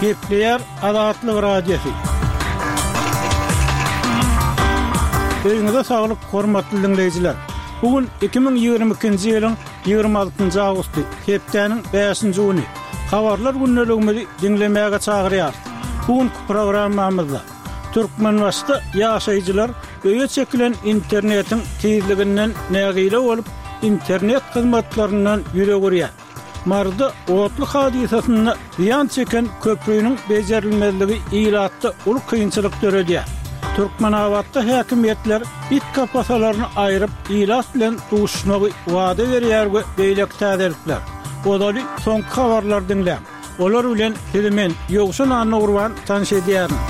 Gepleýär Azatlyk Radiosy. Öýüňize saglyk, hormatly diňleýjiler! Bu gün 2022-nji ýylyň 26-njy awgusty, hepdäniň bäşinji güni. Habarlar gündeligimizi diňlemäge çagyrýarys. Bu günki programmamyzda Türkmenbaşyda ýaşaýjylar öýe çekilen internetiň tizliginden nägile bolup, internet hyzmatlaryndan ýüz öwürýär. Maryda otly hadysasynda zyýan çeken köprüniň bejerilmezligi ilatda uly kynçylyk döredýär. Türkmenabatda häkimiýetler it kapasalaryny aýryp, ilat bilen duşuşmagy wada berýär we beýleki täzelikler. Ozaly soňky habarlary diňläň. Olar bilen sizi men, Ýowşan Annagurban tanyş edýärin.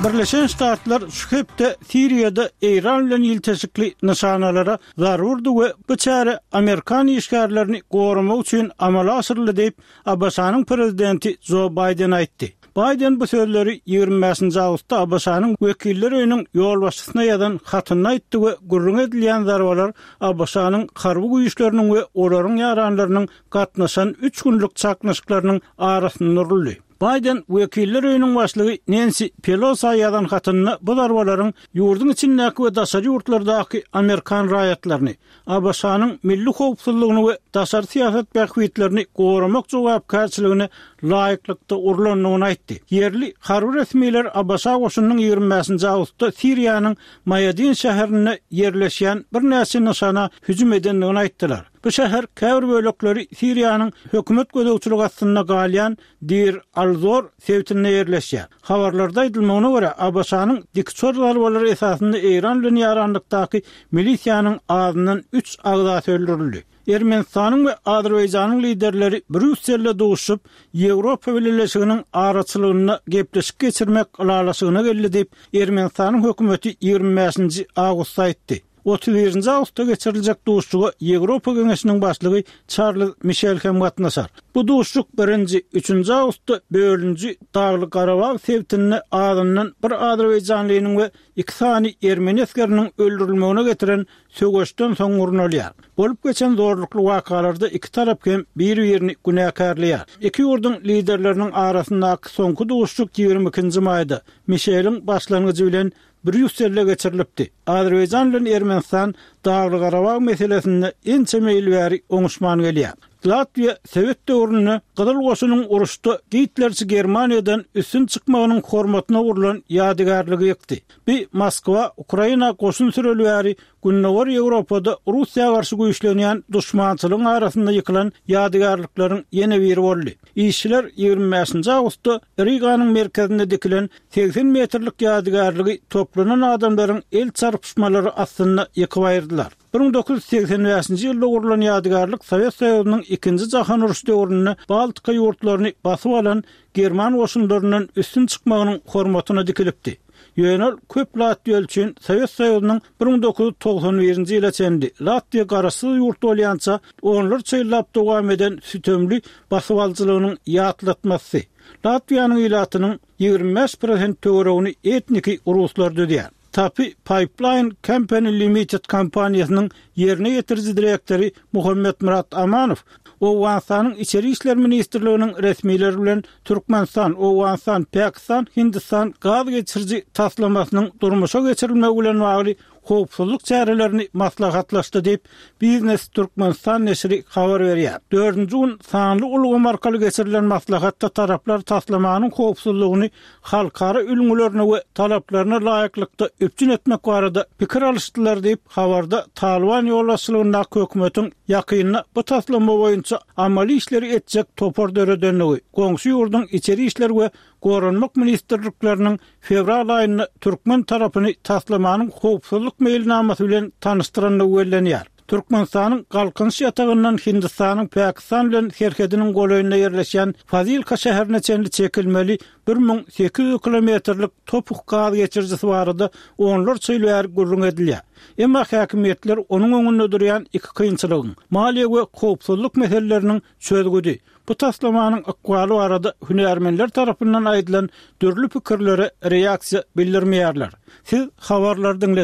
Birleşen Ştatlar şu hepde Siriýada Eýran bilen ilteşikli nyşanalara zarurdy we bu çäre amerikan işgärlerini goramak üçin amala aşyryldy diýip, ABŞ-nyň prezidenti Jo Baýden aýtdy. Baýden bu sözleri 25-nji awgustda ABŞ-nyň Wekiller öýüniň ýolbaşçysyna ýazan hatynda aýtdy we gürrüňi edilýän zarbalar ABŞ-nyň harby güýçleriniň we olaryň ýaranlarynyň gatnaşan üç günlük çaknyşyklarynyň arasynda uruldy. Baýden Wekiller öýüniň başlygy Nensi Pelosa ýazan hatynda bu zarbalaryň ýurduň içindäki we daşary ýurtlardaky amerikan raýatlaryny, ABŞ-nyň milli howpsuzlygyny we daşary syýasat bähbitlerini goramak jogapkärçiligine laýyklykda urlandygyny aýtdy. Ýerli harby resmiler ABŞ goşunynyň 25-nji awgustda Siriýanyň Maýadin şäherinde ýerleşýän birnäçe nyşana hüjüm edendigini aýtdylar. Bu şäher käbir bölekleri Siriýanyň hökümet gözegçiligi astynda galýan Deir al-Zor sebitinde ýerleşýär. Habarlarda aýdylmagyna görä, ABŞ-nyň dikuçar zarbalary esasynda Eýran bilen ýaranlykdaky milisiýanyň azyndan üç agzasy öldürildi. Ermenistanyň we Azerbaýjanyň liderleri Brýusselde duşuşyp, Ýewropa Bileleşiginiň araçylygynda gepleşik geçirmek ylalaşygyna geldi diýip, Ermenistanyň hökümeti 25-nji awgustda aýtdy. 31-nji awgustda geçiriljek duşuşyga Ýewropa Geňeşiniň başlygy Çarlz Mişel hem gatnaşar. Bu duşuşyk birinji, üçünji awgustda bölünji Dagly-Garabag sebitinde azyndan bir azerbaýjanlynyň we iki sany ermeni esgeriniň öldürilmegine getiren söweşden soň gurnalýar. Bolup geçen zorlukly wakalarda iki tarap hem bir-birini günäkärleýär. Iki ýurduň liderleriniň arasyndaky soňky duşuşyk 22-nji maýda, Mişeliň başlangyjy bilen Brýusselde geçirilipdi. Azerbaýjan bilen Ermenistan Dagly-Garabag meselesinde ençeme ýyl bäri oňuşman gelýär. Latwiýa sowet döwründe Gyzyl Goşunyň uruşda gitlerçi Germaniýadan üstün çykmagynyň hormatyna gurlan ýadygärligi ýykdy. Bi Moskwa Ukraina goşun süreli bäri Gündogar Ýewropada Russiýa garşy güýçlenýän duşmançylygyň arasynda ýykylan ýadygärlikleriň ýene biri boldy. Işçiler 25-nji awgustda Riganyň merkezinde dikilen 80 metrlik ýadygärligi toplanan adamlaryň el çarpyşmalary astynda ýykyp aýyrdylar. 1985-nji ýylda gurlan ýadygärlik Sowet Soýuzynyň Ikinji jahan urşy döwründe Baltika ýurtlaryny basyp alan german goşunlaryndan üstün çykmagynyň hormatyna dikilipdi. Ýöne ol köp latwiýaly üçin Sowet Soýuzynyň 1991-nji ýyla çenli Latwiýa garaşsyz ýurt bolýança onlarça ýyllap dowam eden sütemli basybalyjylygynyň ýatlatmasy. Latwiýanyň ilatynyň 25 prosent töweregini etniki ruslar düzýär. Tapi Pipeline Company Limited kompaniýasynyň ýerine ýetiriji direktory Muhammetmyrat Amanow Owganystanyň Içeri işler ministrliginiň resmileri bilen Türkmenistan, Owganystan, Pakistan, Hindistan gaz geçiriji taslamasynyň durmuşa geçirilmegi bilen bagly howpsuzlyk çärelerini maslahatlaşdy diýip, Biznes Türkmenistan neşiri habar berýär. Dördünji gün sanly ulgam arkaly geçirilen maslahatda taraplar taslamanyň howpsuzlygyny halkara ülňülerine we talaplaryna laýyklykda üpjün etmek barada pikir alyşdylar diýip, habarda Talyban ýolbaşçylygyndaky hökümetiň ýakynda bu taslama boýunça amaly işleri etjek topar döredendigi, goňşy ýurduň Içeri işler we Goranmak ministrlikleriniň fewral aýynda türkmen tarapyny taslamanyň howpsuzlyk meýilnamasy bilen tanyşdyrandygy bellenýär. Türkmenistanyň Galkynyş ýatagyndan Hindistanyň Pakistan bilen serhediniň golaýynda ýerleşýän Fazilka şäherine çenli çekilmeli 1800 kilometrlik topuk gaz geçirijisi barada onlarça ýyl bäri gürrüň edilýär. Emma häkimiýetler onuň öňünde durýan iki kynçylygyň, maliýe we howpsuzlyk meseleleriniň çözgüdi, bu taslamanyň ykbaly barada hünärmenler tarapyndan aýdylan dürli pikirlere reaksiýa bildirmeýärler. Siz habarlary diňlediňiz.